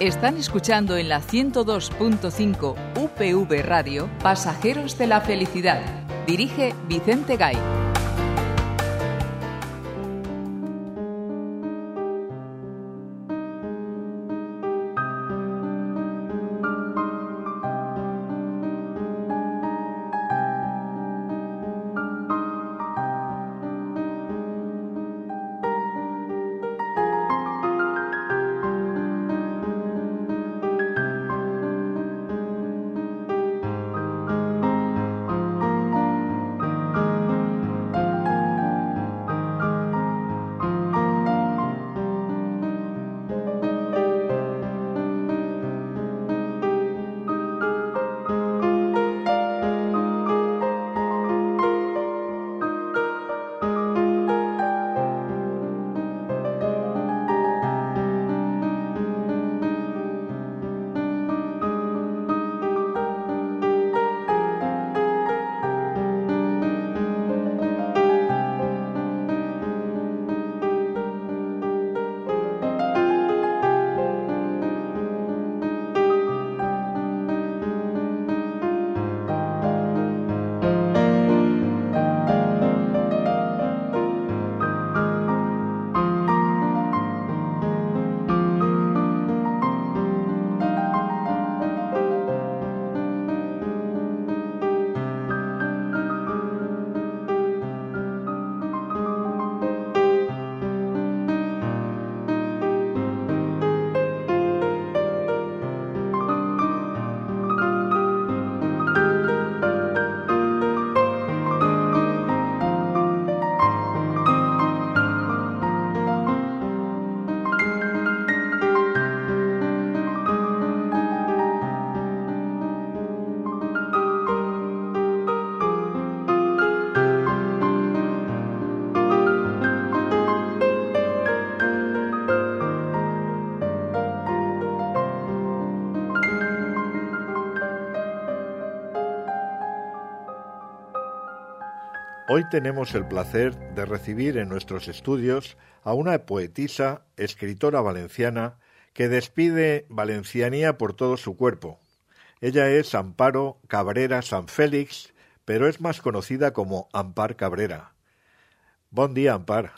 Están escuchando en la 102.5 UPV Radio Pasajeros de la Felicidad. Dirige Vicente Gay. Hoy tenemos el placer de recibir en nuestros estudios a una poetisa, escritora valenciana, que despide valencianía por todo su cuerpo. Ella es Amparo Cabrera Sanfélix, pero es más conocida como Ampar Cabrera. Bon dia, Ampar.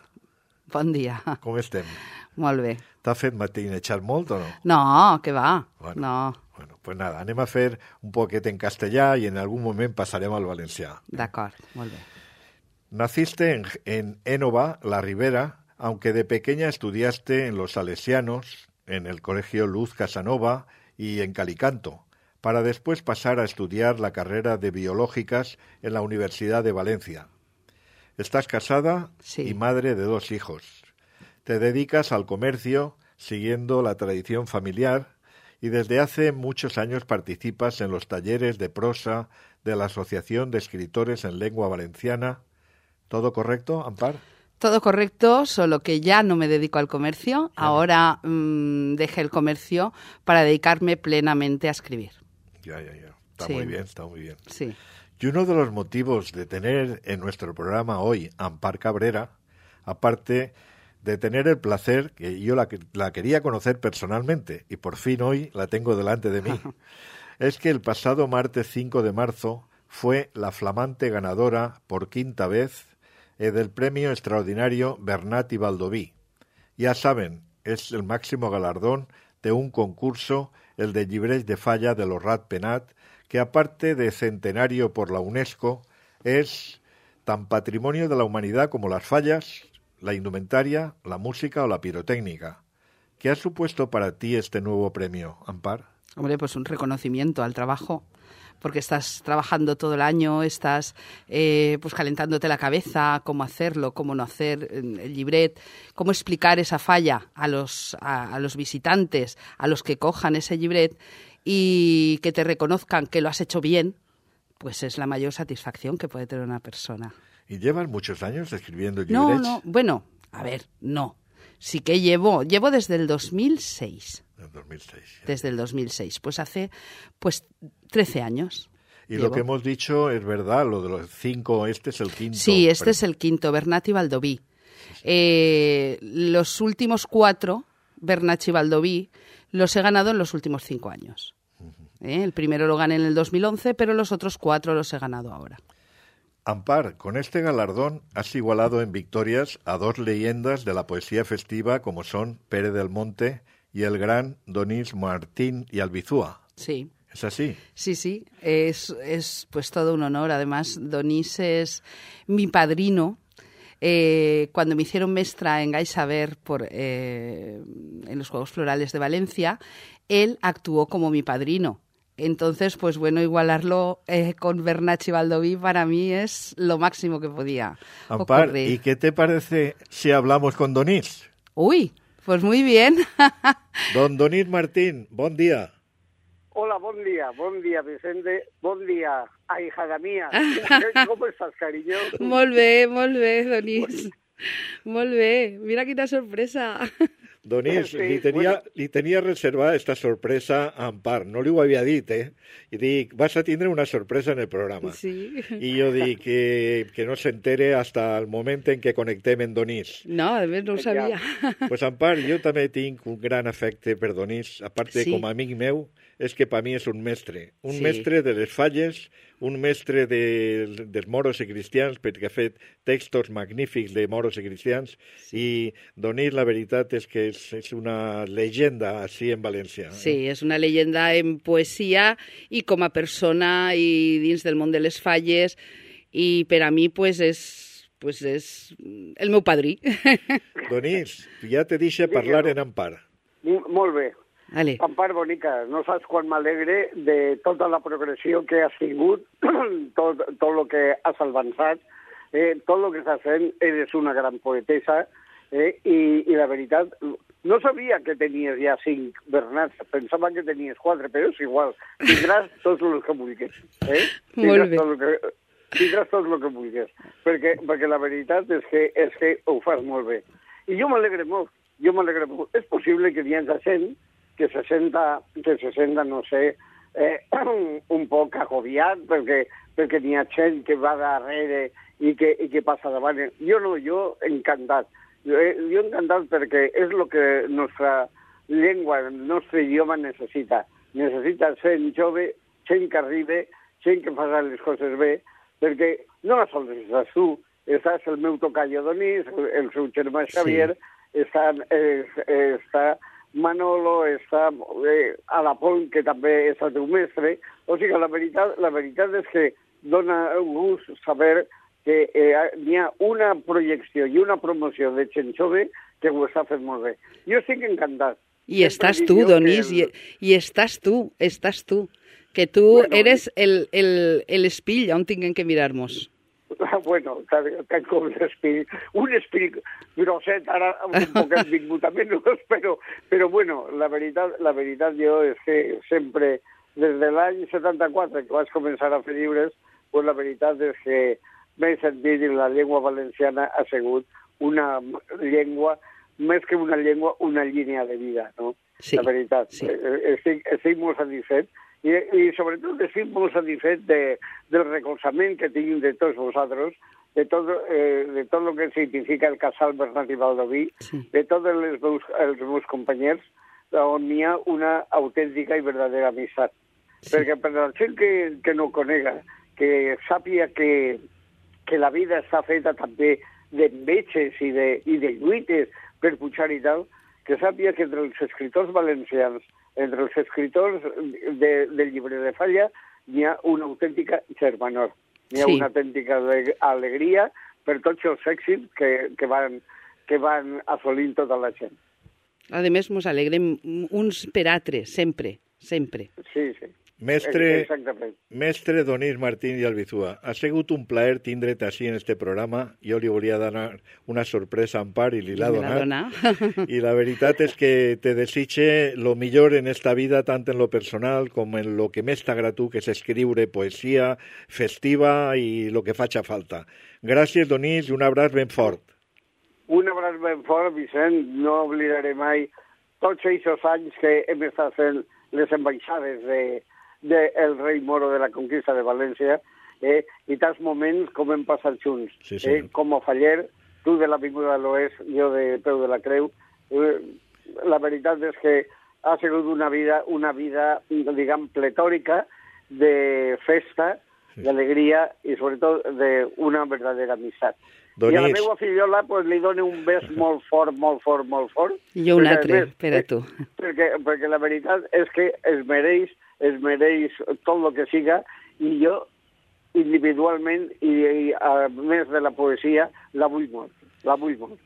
Bon dia. Com estem? Molt bé. T'ha fet matinejat molt o no? No, què va? Bueno, no. Bueno, pues nada, anem a fer un poquet en castellà y en algún moment pasarem al valencià. D'acord, molt bé. Naciste en Énova, La Ribera, aunque de pequeña estudiaste en los Salesianos, en el Colegio Luz Casanova y en Calicanto, para después pasar a estudiar la carrera de Biológicas en la Universidad de Valencia. Estás casada y madre de 2 hijos. Te dedicas al comercio, siguiendo la tradición familiar, y desde hace muchos años participas en los talleres de prosa de la Asociación de Escritores en Lengua Valenciana. ¿Todo correcto, Ampar? Todo correcto, solo que ya no me dedico al comercio. Ahora dejé el comercio para dedicarme plenamente a escribir. Ya. Está muy bien. Sí. Y uno de los motivos de tener en nuestro programa hoy Ampar Cabrera, aparte de tener el placer, que yo la quería conocer personalmente, y por fin hoy la tengo delante de mí, es que el pasado martes 5 de marzo fue la flamante ganadora por 5ª vez del premio extraordinario Bernat y Baldoví. Ya saben, es el máximo galardón de un concurso, el de Llibres de Falla de los Ratpenat, que aparte de centenario por la UNESCO, es tan patrimonio de la humanidad como las fallas, la indumentaria, la música o la pirotécnica. ¿Qué ha supuesto para ti este nuevo premio, Ampar? Hombre, pues un reconocimiento al trabajo, porque estás trabajando todo el año, estás pues calentándote la cabeza, cómo hacerlo, cómo no hacer el llibret, cómo explicar esa falla a los visitantes, a los que cojan ese llibret, y que te reconozcan que lo has hecho bien, pues es la mayor satisfacción que puede tener una persona. ¿Y llevas muchos años escribiendo llibrets? No, bueno, a ver, no. Sí que llevo desde el 2006. Desde el 2006, pues hace 13 años. Y llevo. Lo que hemos dicho es verdad, lo de los 5, este es el 5. Sí, este es el 5, Bernat y Baldoví. Los últimos 4, Bernat y Baldoví, los he ganado en los últimos 5 años. El primero lo gané en el 2011, pero los otros 4 los he ganado ahora. Ampar, con este galardón has igualado en victorias a 2 leyendas de la poesía festiva como son Pere del Monte y el gran Donís Martín y Albizúa. Sí. ¿Es así? Sí. Es pues todo un honor. Además, Donís es mi padrino. Cuando me hicieron mestra en Gai Saber en los Juegos Florales de Valencia, él actuó como mi padrino. Entonces, pues bueno, igualarlo con Bernat y Baldoví para mí es lo máximo que podía Ampar, ocurrir. ¿y qué te parece si hablamos con Donís? Uy, pues muy bien. Don Donís Martín, bon dia. Hola, bon dia, Vicente, bon dia, ahijada mía. ¿Cómo estás, cariño? Molt bé, Donís. Molt bé, mira quina sorpresa. Donís, Sí, li tenia reservada esta sorpresa a Ampar, no li ho havia dit, I dic, vas a tindre una sorpresa en el programa. Sí. I jo dic que no s'entere hasta el moment en què connectem en Donís. No, a més no ho sabia. Pues Ampar, jo també tinc un gran afecte per Donís, a part de Sí. com a amic meu, és que per mi és un mestre. Un Sí. mestre de les falles, un mestre dels moros i cristians, perquè ha fet textos magnífics de moros i cristians, i Donís, la veritat és que és una llegenda així en València. Sí, és una leyenda en poesia i com a persona i dins del món de les falles, i per a mi pues és el meu padrí. Donís, ja te deixa parlar en Ampar. Molt bé. Vale. Ampar bonica, no saps quan m'alegre de tota la progressió que has tingut, tot lo que has avançat, tot lo que estàs fent, eres una gran poetessa, i la veritat, no sabia que tenies ja 5 Bernats, pensava que tenies 4, però és igual, tindràs tots els que vulguis. Molt bé. Tindràs tot el que vulguis, perquè la veritat és que ho fas molt bé. I jo m'alegre molt. És possible que hi hagi gent que se senta, no sé, un poc agobiat perquè n'hi ha gent que va darrere i que passa davant. Jo no, jo encantat. Jo encantat perquè és el que nostra llengua, el nostre idioma necessita. Necessita gent jove, gent que arriba, gent que fa les coses bé, perquè no sols estàs tu, estàs el meu tocayo Donís, el seu germà Xavier, sí. està Manolo, està Alapont, que també és el teu mestre. O sigui, la veritat és que dona gust saber que hi ha una projecció i una promoció de gent jove que ho està fent molt bé. Jo estic encantat. I estàs tu, Donís, i estàs tu, que tu eres el espill on tinguem que mirar-nos. Bueno, tant com l'espill. Un espill grosset, ara un poc has vingut a menys, però bueno, la veritat jo és que sempre, des de l'any 74 que vaig començar a fer llibres, pues la veritat és que m'he sentit que la llengua valenciana ha sigut una llengua, més que una llengua, una línia de vida, no? Sí, la veritat. Sí. Estic molt satisfet. I sobretot estic molt satisfet del recolzament que tinc de tots vosaltres, de tot el que significa el casal Bernat i Baldoví, sí. De tots els meus companys, on hi ha una autèntica i verdadera amistat. Sí. Perquè per la gent que no conega, que sàpiga que la vida està feta també d'enveges i de lluites per pujar i tal, que sàpiga que entre els escriptors valencians, entre els escriptors del llibre de Falla, hi ha una autèntica germanor. Hi ha una autèntica alegria per tots els èxits que van assolint tota la gent. A més, ens alegrem uns per altres, sempre. Sí. Mestre Donís Martín i Albizúa, ha sigut un plaer tindre't així en este programa. Jo li volia donar una sorpresa a Ampar i li l'ha donat. I la veritat és que te desitge lo millor en esta vida, tant en lo personal com en lo que més t'agrada tu, que és escriure poesia festiva i lo que faci falta. Gràcies, Donís, i un abraç ben fort. Un abraç ben fort, Vicent. No oblidaré mai tots aquests anys que hem estat fent les ambaixades del rei moro de la conquista de València, i tants moments com hem passat junts. Sí, sí. Com a Faller, tu de l'Avinguda de l'Oest, jo de Peu de la Creu. La veritat és que ha sigut una vida, diguem, pletòrica de festa, d'alegria i sobretot d'una verdadera amistat. Donís. I a la meva fillola pues, li dono un bes molt fort. I jo un altre, per a tu. Perquè la veritat és que es mereix tot el que siga, i jo individualment i a més de la poesia la vull molt.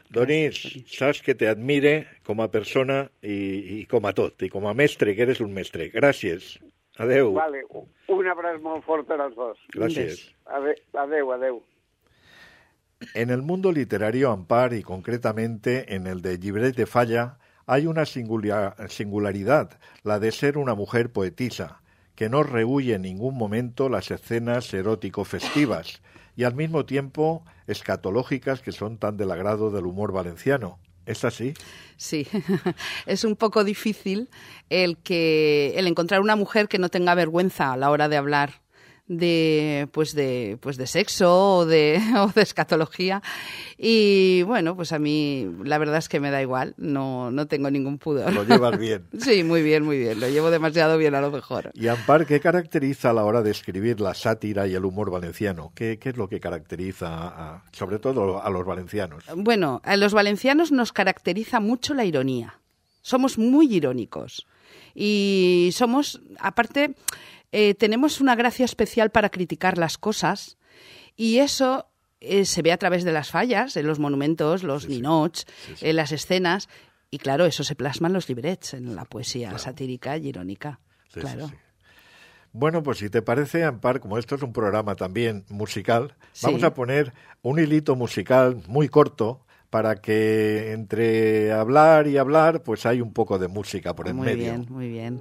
Donís, saps que te admire com a persona i com a tot, i com a mestre, que eres un mestre. Gràcies. Adeu. Vale, un abraç molt fort per als dos. Gracias. Adeu. En el mundo literario, Ampar, y concretamente en el de Llibret de Falla, hay una singularidad, la de ser una mujer poetisa, que no rehúye en ningún momento las escenas erótico-festivas y al mismo tiempo escatológicas que son tan del agrado del humor valenciano. ¿Es así? Sí, es un poco difícil el encontrar una mujer que no tenga vergüenza a la hora de hablar de sexo o de escatología, y bueno, pues a mí la verdad es que me da igual, no tengo ningún pudor. Lo llevas bien. Sí, muy bien, lo llevo demasiado bien a lo mejor. Y Ampar, ¿qué caracteriza a la hora de escribir la sátira y el humor valenciano? ¿Qué es lo que caracteriza sobre todo a los valencianos? Bueno, a los valencianos nos caracteriza mucho la ironía. Somos muy irónicos y somos, aparte, tenemos una gracia especial para criticar las cosas, y eso se ve a través de las fallas, en los monumentos, los ninots, en las escenas, y claro, eso se plasma en los librets, en la poesía satírica y irónica. Sí, claro. Sí. Bueno, pues si te parece, Ampar, como esto es un programa también musical, vamos a poner un hilito musical muy corto para que entre hablar y hablar, pues hay un poco de música por en medio. Muy bien.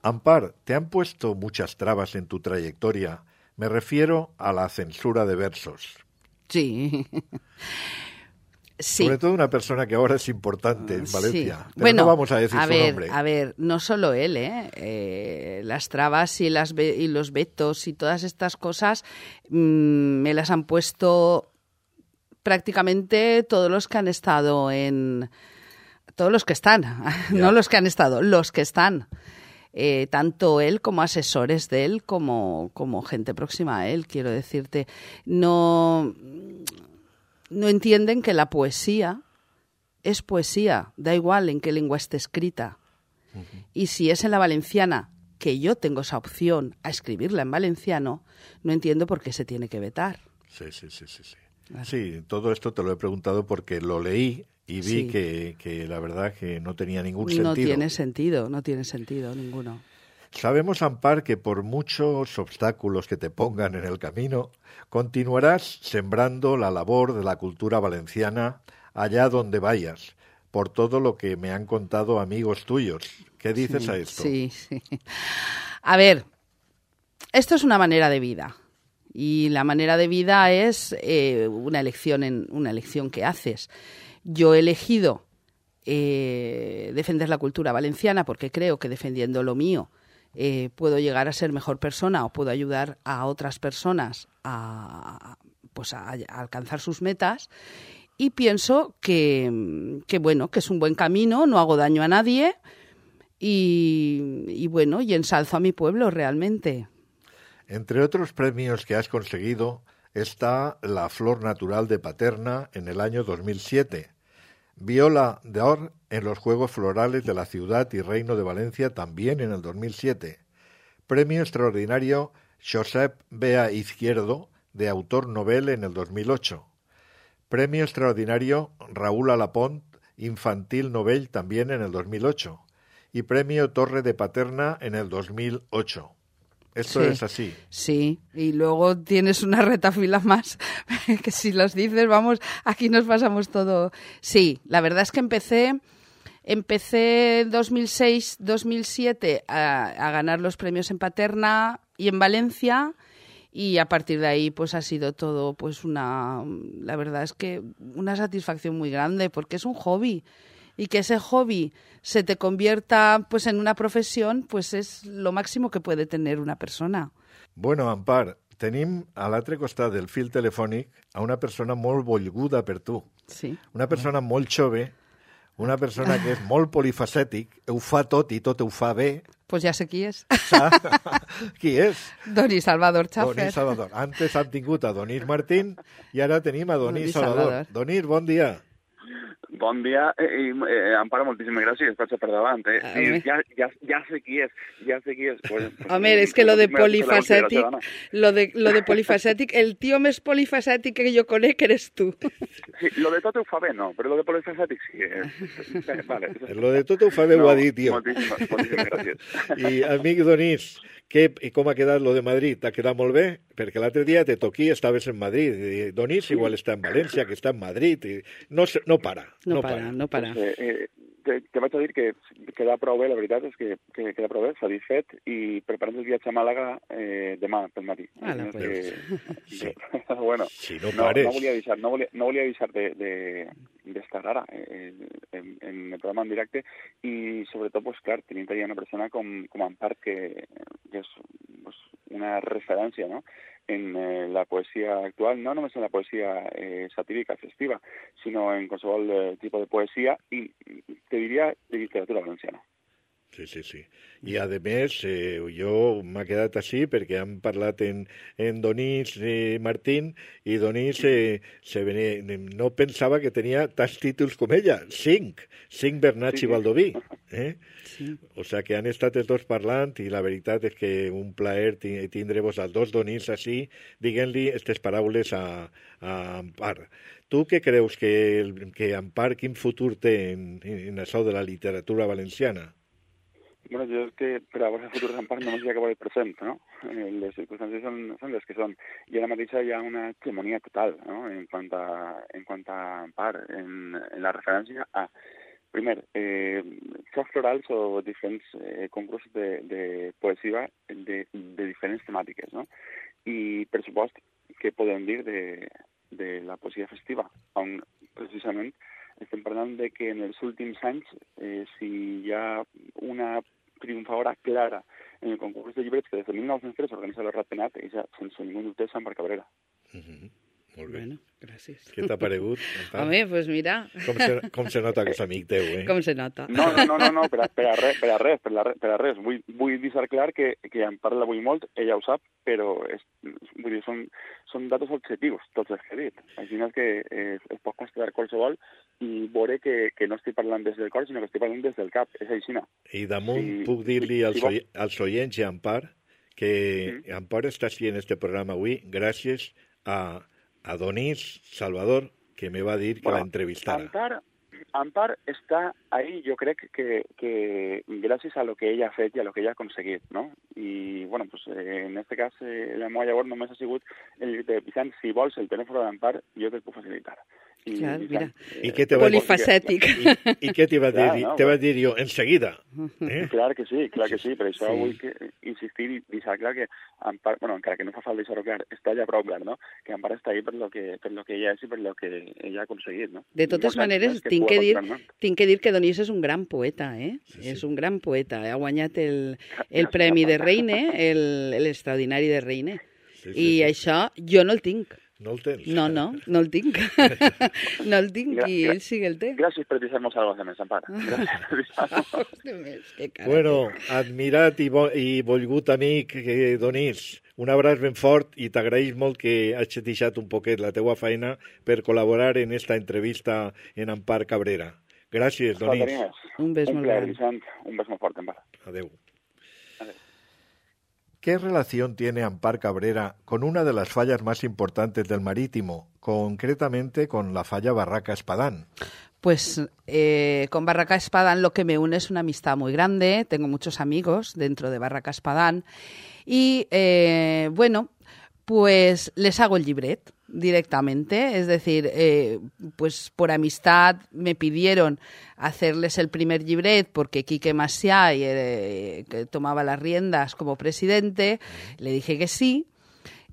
Ampar, ¿te han puesto muchas trabas en tu trayectoria? Me refiero a la censura de versos. Sí. Sí. Sobre todo una persona que ahora es importante en Valencia. Sí. Pero bueno, no vamos a decir su nombre. A ver, no solo él, las trabas y los vetos y todas estas cosas me las han puesto prácticamente todos los que han estado todos los que están, no los que han estado, los que están. Tanto él como asesores de él, como gente próxima a él, quiero decirte. No entienden que la poesía es poesía, da igual en qué lengua esté escrita. Uh-huh. Y si es en la valenciana, que yo tengo esa opción a escribirla en valenciano, no entiendo por qué se tiene que vetar. Sí. Claro. Sí, todo esto te lo he preguntado porque lo leí y vi que la verdad que no tenía ningún sentido. No tiene sentido ninguno. Sabemos, Ampar, que por muchos obstáculos que te pongan en el camino, continuarás sembrando la labor de la cultura valenciana allá donde vayas, por todo lo que me han contado amigos tuyos. ¿Qué dices a esto? Sí. A ver, esto es una manera de vida. Y la manera de vida es una elección que haces. Yo he elegido defender la cultura valenciana porque creo que defendiendo lo mío puedo llegar a ser mejor persona o puedo ayudar a otras personas a alcanzar sus metas. y pienso que bueno, que es un buen camino, no hago daño a nadie y bueno, y ensalzo a mi pueblo realmente. Entre otros premios que has conseguido está la Flor Natural de Paterna en el año 2007, Viola d'Or en los Juegos Florales de la Ciudad y Reino de Valencia también en el 2007, Premio Extraordinario Josep Bea Izquierdo de Autor Novel en el 2008, Premio Extraordinario Raúl Alapont Infantil Novel también en el 2008 y Premio Torre de Paterna en el 2008. Esto es así. Sí, y luego tienes una retafila más, que si los dices, vamos, aquí nos pasamos todo. Sí, la verdad es que empecé 2006-2007 a ganar los premios en Paterna y en Valencia, y a partir de ahí pues ha sido todo pues la verdad es que una satisfacción muy grande, porque es un hobby. Y que ese hobby se te convierta pues en una profesión, pues es lo máximo que puede tener una persona. Bueno, Ampar, tenim a l'altre costat del fil telefònic a una persona molt volguda per tu. Sí. Una persona molt jove, una persona que és molt polifacètic, ho fa tot i tot ho fa bé. Pues ja sé qui és. Qui és? Donís Salvador Chaffer. Donís Salvador. Antes hem tingut a Donís Martín i ara tenim a Donís Salvador. Donís, bon dia. Bon dia i Amparo, moltíssimes gràcies, vaig per davant. Sí, ja sé qui és, Pues, home, és que lo de polifacètic, el tio més polifacètic que jo conec eres tu. Sí, lo de tot ho fa bé, no, però lo de polifacètic sí. Vale. Lo de tot ho fa bé, ho ha dit, tio. Moltíssimes gràcies. I, amic Donís, com ha quedat lo de Madrid? T'ha quedat molt bé? Perquè l'altre dia te toquí, estaves en Madrid. I Donís igual està en València, que està en Madrid. I no para. No para. Pues, te vaig a dir que queda prou bé, la veritat és que queda prou bé, satisfet, i preparant el viatge a Màlaga demà pel matí. Sí. Bueno, si no pares. No volia deixar d'estar ara en el programa en directe, i sobretot, pues, clar, tenint allà una persona com Ampar, que és pues, una referència, no?, en la poesia actual, no només en la poesia satírica, festiva, sinó en qualsevol tipus de poesia, i te diria de literatura valenciana. Sí. I, a més, jo m'ha quedat així perquè hem parlat en Donís Martín, i Donís no pensava que tenia tants títols com ella, 5 Bernats i Baldoví. Sí. O sea que han estat els dos parlant, i la veritat és que un plaer tindre-vos als dos Donís així, diguent-li aquestes paraules a Ampar. Tu què creus que Ampar, quin futur té en això de la literatura valenciana? Bueno, jo és que per a veure el futur d'Ampar només hi ha que veure el present, no? Les circumstàncies són les que són. I ara mateix hi ha una hegemonia total, no?, en quant a Ampar, en la referència a, primer, xocs florals o diferents concursos de poesia de diferents temàtiques, no? I, per supost, què podem dir de la poesia festiva, on precisament estem parlant de que en els últims anys, si hi ha una triomfadora clara en el concurs de llibres que des de 1903 organitza el Ratpenat, és, sense ningú dubte, Sant Ampar Cabrera. Molt bé. Bueno, gràcies. Què t'ha paregut? Home, pues mira. Com se nota que és amic teu, Com se nota. No, per a res. Vull deixar clar que en parla avui molt, ella ho sap, però vull dir, són datos objectius, tots els que he dit. Així és que es pot constatar qualsevol i veure que no estic parlant des del cor, sinó que estic parlant des del cap. És així. I damunt puc dir-li als oients i a Ampar que Ampar està així en este programa avui gràcies a Donís Salvador, que me va dir que la entrevistara. Ampar está ahí, yo creo que gracias a lo que ella ha fet y a lo que ella ha conseguit, ¿no? Y, bueno, pues en este cas, la meva llavor només ha sigut el de Vicent, si vols el telèfon d'Ampar, jo te'l puc facilitar. Clar, mira, polifacètic. I què t'hi va dir? Te va dir jo, enseguida. Clar que sí, per això vull insistir i deixar clar que Ampar, bueno, encara que no fa falta deixar-ho clar, està ja prou clar, no? Que Ampar està ahí per lo que ella és i per lo que ella ha aconseguit, no? De totes maneres, tinc que dir que Donís és un gran poeta, És un gran poeta. Ha guanyat el Premi de Reine, l'extraordinari de Reine. I això jo no el tinc. No el tens? No el tinc. No el tinc i ell sí que el té. Gràcies per deixar-nos algo de més, Ampar. Gràcies per deixar-nos. Bueno, admirat i volgut amic Donís, un abraç ben fort i t'agraïs molt que hagis deixat un poquet la teua feina per col·laborar en esta entrevista en Ampar Cabrera. Gràcies, Donís. Un bes molt gran. Un bes molt fort, Ampar. Adeu. ¿Qué relación tiene Ampar Cabrera con una de las fallas más importantes del Marítimo, concretamente con la falla Barraca Espadán? Pues con Barraca Espadán lo que me une es una amistad muy grande. Tengo muchos amigos dentro de Barraca Espadán y, bueno, pues les hago el llibret directamente. Es decir, pues por amistad me pidieron hacerles el primer llibret porque Quique Macià, que tomaba las riendas como presidente, le dije que sí.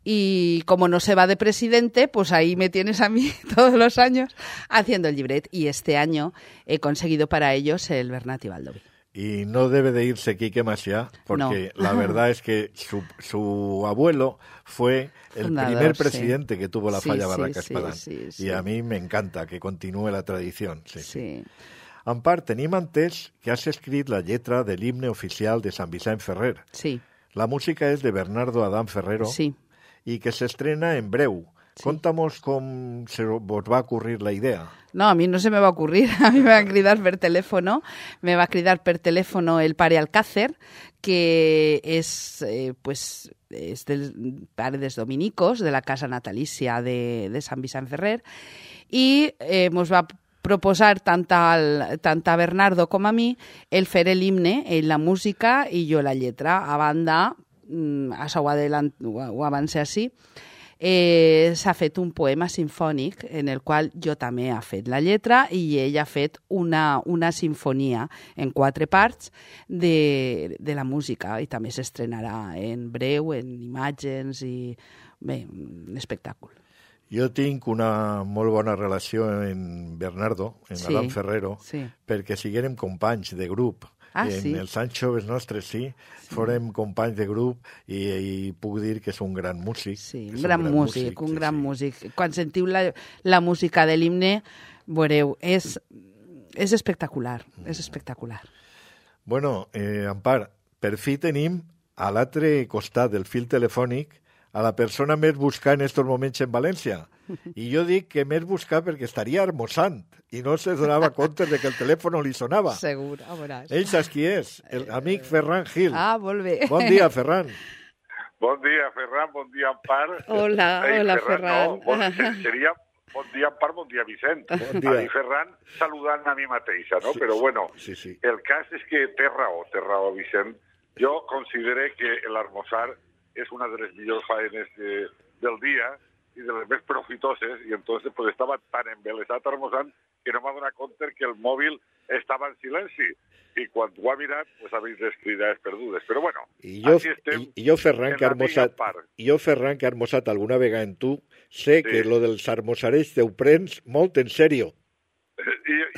Y como no se va de presidente, pues ahí me tienes a mí todos los años haciendo el llibret. Y este año he conseguido para ellos el Bernat y Baldoví. Y no debe de irse Quique Macià, porque la verdad es que su abuelo fue el primer presidente que tuvo la falla Barraca Espadán. Y a mí me encanta que continúe la tradición. Sí. Ampar, tenim entès que has escrit la lletra de l'himne oficial de Sant Vicent Ferrer. Sí. La música es de Bernardo Adán Ferrero. Sí. Y que se estrena en breu. Sí. Contamos com se vos va a ocurrir la idea. No, a mí no se me va a ocurrir. A mí me va a cridar per teléfono. Me va a cridar per teléfono el pare Alcácer, que es del pare dels dominicos, de la casa natalícia de Sant Vicent Ferrer, i ens va proposar tant a Bernardo com a mi el fer l'himne, la música i jo la lletra. A banda, això ho avancé així, s'ha fet un poema sinfònic en el qual jo també he fet la lletra i ell ha fet una sinfonia en 4 parts de la música i també s'estrenarà en breu, en imatges i bé, un espectacle. Jo tinc una molt bona relació amb Bernardo, amb Adán Ferrero, perquè siguérem companys de grup. En els anys joves nostres, fórem companys de grup i puc dir que és un gran músic. Sí, un gran músic. Quan sentiu la música de l'himne, veureu, és espectacular, és espectacular. Bueno, Ampar, per fi tenim a l'altre costat del fil telefònic a la persona més buscada en aquests moments en València. I jo dic que més buscada perquè estaria almoçant i no se donava compte de que el telèfon li sonava. Segur, a veuràs. Ell saps qui és? L'amic Ferran Gil. Ah, molt bé. Bon dia, Ferran. Bon dia, Ferran. Bon dia, Ampar. Hola, Ferran. No, seria bon dia, Ampar, bon dia, Vicent. Bon dia. I Ferran saludant a mi mateixa, no? Sí, però bueno, sí. El cas és que té raó, Vicent. Jo considero que l'almoçar és una de les millors faenes del dia i de les més profitoses, i entonces pues estava tan embelesat almoçant que no m'ha donat compte que el mòbil estava en silenci. I quan ho ha mirat, pues ha vist les cridades perdudes. Però bueno, així estem. I jo, Ferran, que he almoçat alguna vegada en tu, sé que lo dels almoçarets te ho prens molt en sèrio.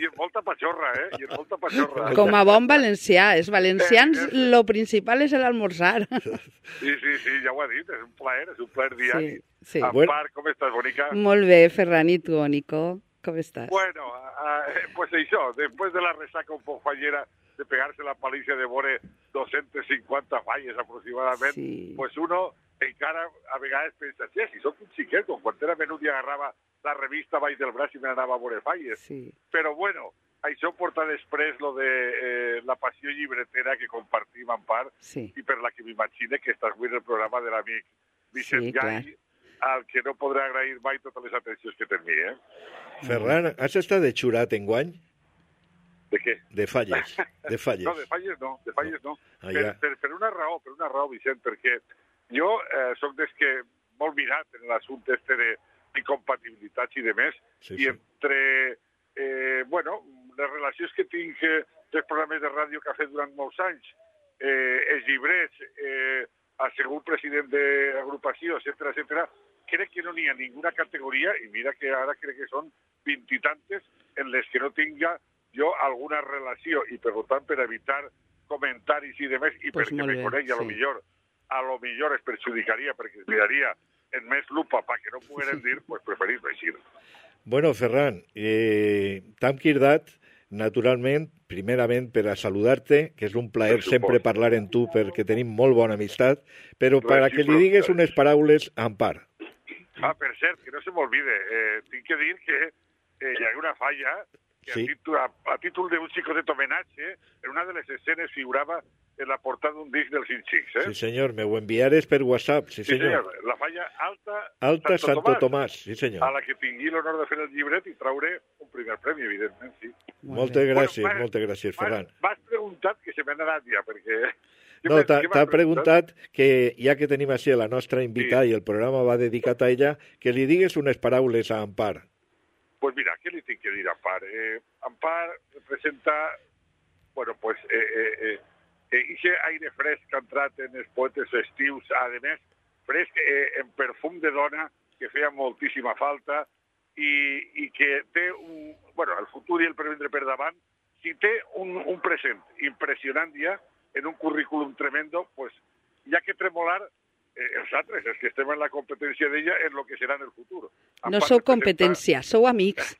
I amb molta patxorra, I amb molta patxorra. Com a bon valencià. Els valencians, lo principal és l'almorzar. Sí, ja ho ha dit, és un plaer diari. Sí. Ampar, com estàs, bonica? Molt bé, Ferran, i tu, Nico? Com estàs? Bueno, pues això, després de la resaca un poc fallera de pegar-se la paliza de veure 250 falles aproximadament, pues uno encara a vegades pensa, si soc un xiquet, quan era menut i agarrava la revista baix del braç i me n'anava a veure falles. Sí. Però bueno, això porta després lo de la passió llibretera que compartim en part i per la que m'imagine que estàs avui en el programa de l'amic Vicent Gai, al que no podré agrair mai totes les atencions que té amb mi, Ferran, has estat de xurat enguany? De què? De falles. No, de falles no. Per una raó, Vicent, perquè jo soc des que molt mirat en l'assumpte este d'incompatibilitats i de més, i entre, les relacions que tinc dels programes de ràdio que ha fet durant molts anys, els llibrets, el segon president d'agrupació, etcètera, crec que no n'hi ha ninguna categoria, i mira que ara crec que són 20 i tantes, en les que no tinga jo alguna relació, i per tant, per evitar comentaris i demés, i perquè me coneix, a lo millor es perjudicaria, perquè es miraria en més lupa perquè no pogueren dir, pues preferís llegir. Bueno, Ferran, t'hem cridat, naturalment, primerament per a saludar-te, que és un plaer sempre parlar amb tu perquè tenim molt bona amistat, però per a que li digues unes paraules a Ampar. Ah, per cert, que no se m'olvide, tinc que dir que hi ha una falla que sí. a títol d'un xicotet homenatge, en una de les escenes figurava en la portada d'un disc dels Inxics, Sí, senyor, me ho enviares per WhatsApp, sí, senyor. La falla Alta Santo Tomàs, sí, senyor. A la que tingui l'honor de fer el llibret i traure un primer premi, evidentment, sí. Moltes gràcies, Ferran. M'has preguntat que se m'ha anat ja, perquè... No, t'ha preguntat que, ja que tenim així la nostra invitada i el programa va dedicat a ella, que li digues unes paraules a Ampar. Pues mira, què li tinc que dir a Ampar? Ampar representa, bueno, pues, ixe aire fresc que ha entrat en els poetes festius, a més, fresc en perfum de dona, que feia moltíssima falta, i que té el futur i el previndre per davant, si té un present impressionant ja, en un currículum tremendo, pues, hi ha que tremolar els altres, els que estem en la competència d'ella, en lo que serà en el futur. No sou competència, sou amics.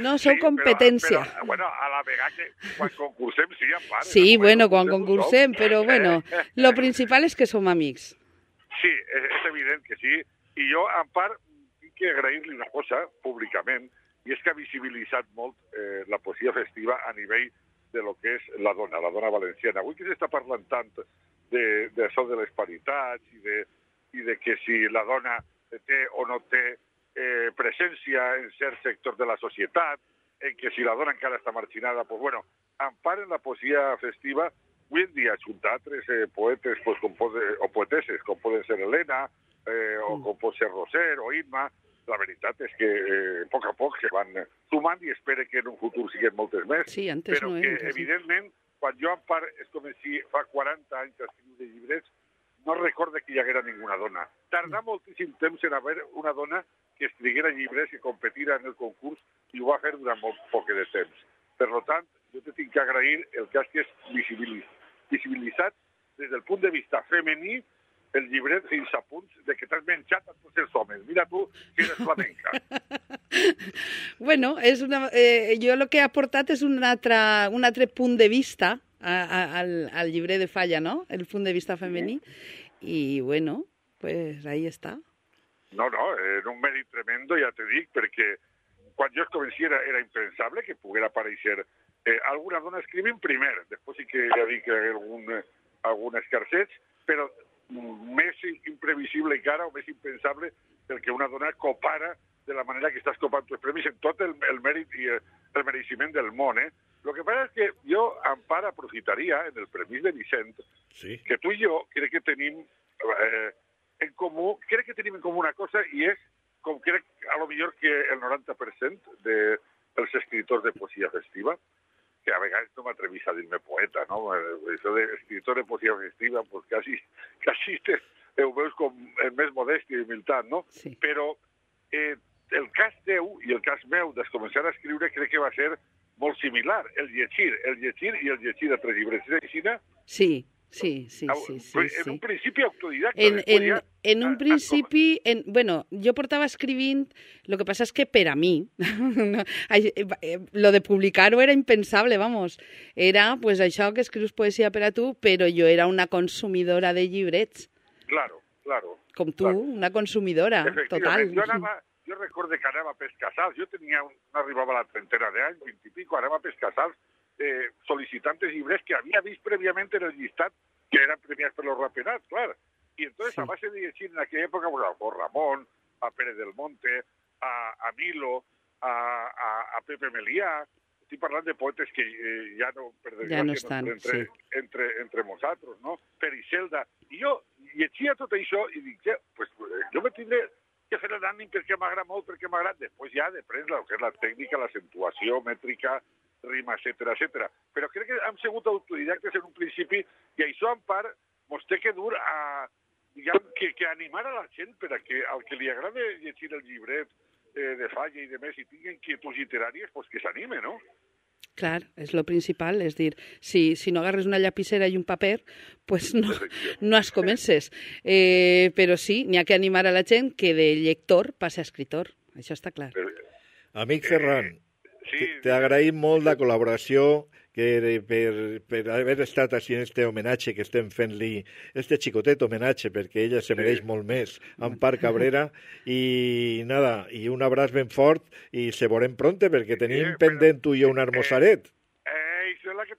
No sou competència. Però, bueno, a la vegada que quan concursem, sí, en part. Sí, bueno, quan concursem, però bueno, lo principal és que som amics. Sí, és evident que sí. I jo, en part, tinc que agrair-li una cosa públicament, i és que ha visibilitzat molt la poesia festiva a nivell de lo que és la dona valenciana. Avui que s'està parlant tant d'això de les paritats i de que si la dona té o no té presència en cert sector de la societat, en que si la dona encara està marginada, pues bueno, en part en la poesia festiva, avui en dia junt a altres poetes pues, o poeteses, com poden ser Helena, o com pot ser Roser o Imma, la veritat és que a poc se van sumant i espero que en un futur siguin moltes més, sí, però que evidentment, quan jo en part és com si fa 40 anys escriu de llibrets, no recorde que hi haguera ninguna dona. Tardà moltíssim temps en haver una dona que escriguera llibres, que competira en el concurs, i ho va fer durant molt poc de temps. Per tant, jo te tinc que agrair el cas que és visibilitzat des del punt de vista femení, el llibret fins a punts de que t'has menjat a tots els homes. Mira tu, que eres flamenca. Bueno, jo el que he aportat és un altre punt de vista al llibret de Falla, ¿no? El punt de vista femení. I, bueno, pues ahí està. No, era un mèrit tremendo, ja te dic, perquè quan jo es comenci era impensable que poguera aparèixer alguna dona escrivint primer. Després sí que ja dic que hi ha algun escarcets, però més imprevisible encara o més impensable el que una dona copara de la manera que estàs copant els premis en tot el mèrit i el mereixement del món. Lo que passa és que jo, en part, aprofitaria en el premi de Vicent, que tu i jo crec que tenim en comú una cosa, i és, com crec a lo millor que el 90% dels escriptors de poesia festiva, que a vegades no m'atrevís a dir-me poeta, no? Això d'escriptor de poesia festiva, pues quasi ho veus com més modèstia i humilitat, no? Sí. Però el cas teu i el cas meu de començar a escriure crec que va ser molt similar. El llegir i el llegir d'altres llibres. És així, no? Sí. En un principi autodidacta. En un principi, bueno, jo portava escrivint, el que passa és que per a mi, lo de publicar-ho era impensable, vamos. Era, pues, això que escrius poesia per a tu, però jo era una consumidora de llibrets. Claro. Com tu, una consumidora, total. Jo recordo que anava a Pescasals, jo arribava a la trentena d'anys, 20 i pico, anava a Pescasals solicitant llibres que havia vist prèviament en el llistat que eren premiats per los Rapenats, clar. I entonces, a base de llegir en aquella època, a Ramón, a Pérez del Monte, a Milo, a Pepe Melià, estic parlant de poetes que ja no, per desgràcia, no estan entre nosaltres, no? Pericelda. I jo llegia tot això i dic, pues, jo me tindré que fer l'ànim perquè m'agrada molt, perquè m'agrada. Després ja depèn del que és la tècnica, l'accentuació mètrica, rima, etcètera. Però crec que hem sigut autodidactes en un principi i això en part mos té que dur a, diguem, que animar a la gent per a que al que li agrada llegir el llibret de Falla i de més i tingui inquietuds literàries, pues que s'anime, no? Claro, es lo principal, es decir, si no agarres una lapicera y un papel, pues no has comences. Però sí, n'hi ha que animar a la gent que de lector passe a escritor, això està clar. Amic Ferran, t'agraïm molt la col·laboració per haver estat així en este homenatge que estem fent-li, este xicotet homenatge, perquè ella se mereix molt més, Ampar Cabrera, i nada, i un abraç ben fort, i se veurem pronte, perquè tenim pendent tu i jo un armossaret. Això és la que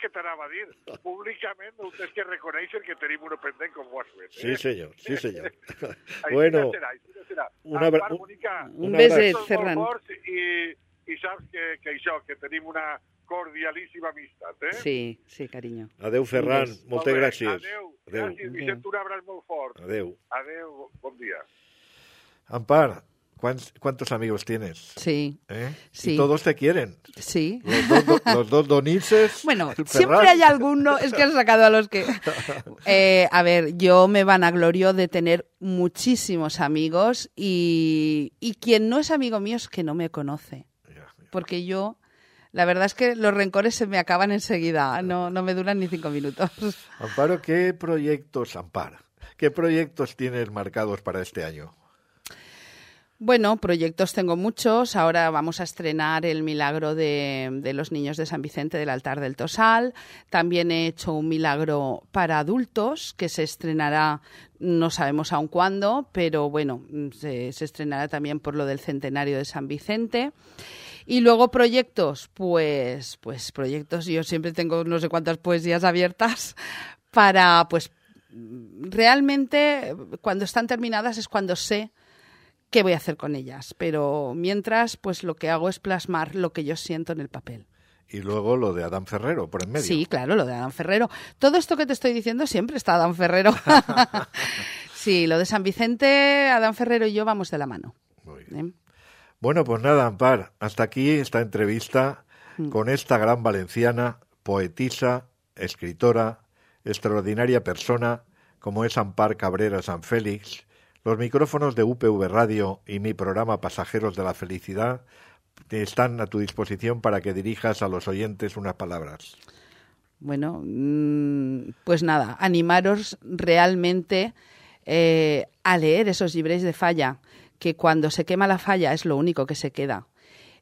t'anava a dir. Públicament heu de que reconèixer que tenim un pendent com ho has fet. Sí, senyor, sí, senyor. Bueno, un beset, Ferran. I saps que això, que tenim una cordialíssima amistat, Sí, carinyo. Adeu, Ferran, moltes gràcies. Adeu. Gràcies, Vicent, un abraç molt fort. Adeu. Adeu, bon dia. Ampar, ¿cuántos amigos tienes? Sí. Sí. Y todos te quieren. Sí. Los dos donices. Bueno, siempre hay alguno, es que has sacado a los que... a ver, yo me vanaglorio de tener muchísimos amigos y quien no es amigo mío es que no me conoce. Porque yo, la verdad es que los rencores se me acaban enseguida, no me duran ni 5 minutos. Amparo, ¿qué proyectos tienes marcados para este año? Bueno, proyectos tengo muchos. Ahora vamos a estrenar El Milagro de los Niños de San Vicente del Altar del Tosal. También he hecho un milagro para adultos que se estrenará, no sabemos aún cuándo, pero bueno, se estrenará también por lo del centenario de San Vicente. Y luego proyectos, pues proyectos, yo siempre tengo no sé cuántas poesías abiertas para, pues realmente cuando están terminadas es cuando sé qué voy a hacer con ellas, pero mientras pues lo que hago es plasmar lo que yo siento en el papel. Y luego lo de Adán Ferrero, por en medio. Sí, claro, lo de Adán Ferrero. Todo esto que te estoy diciendo siempre está Adán Ferrero. Sí, lo de San Vicente, Adán Ferrero y yo vamos de la mano. Muy bien. Bueno, pues nada, Ampar, hasta aquí esta entrevista con esta gran valenciana, poetisa, escritora, extraordinaria persona, como es Ampar Cabrera San Félix. Los micrófonos de UPV Radio y mi programa Pasajeros de la Felicidad están a tu disposición para que dirijas a los oyentes unas palabras. Bueno, pues nada, animaros realmente a leer esos llibres de Falla, que cuando se quema la falla es lo único que se queda.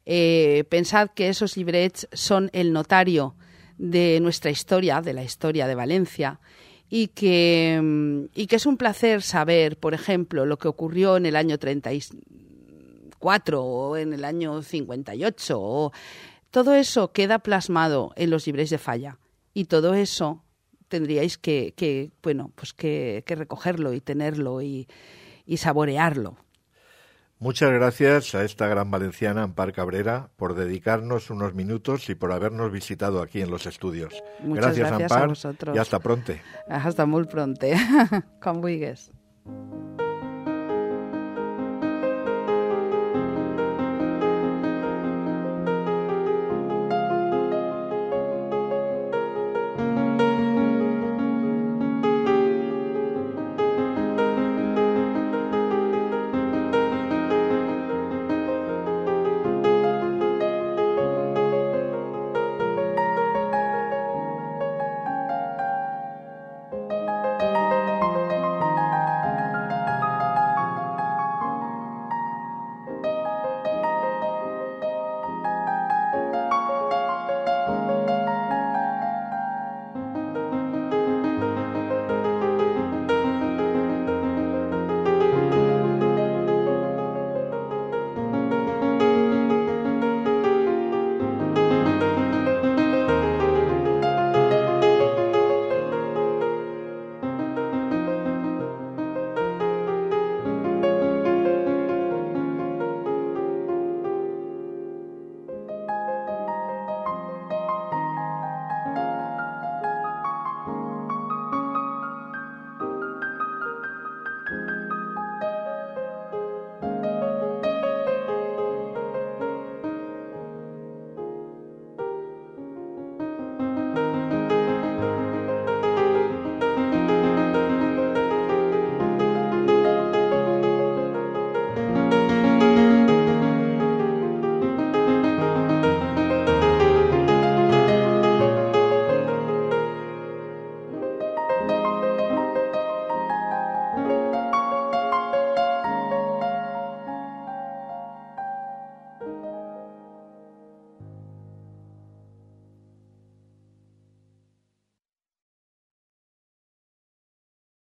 Pensad que esos llibrets son el notario de nuestra historia, de la historia de Valencia, y que es un placer saber, por ejemplo, lo que ocurrió en el año 34 o en el año 58. Todo eso queda plasmado en los llibres de Falla, y todo eso tendríais que recogerlo y tenerlo y saborearlo. Muchas gracias a esta gran valenciana, Ampar Cabrera, por dedicarnos unos minutos y por habernos visitado aquí en los estudios. Muchas gracias Ampar, a vosotros. Y hasta pronto. Hasta muy pronto. Com vulguis.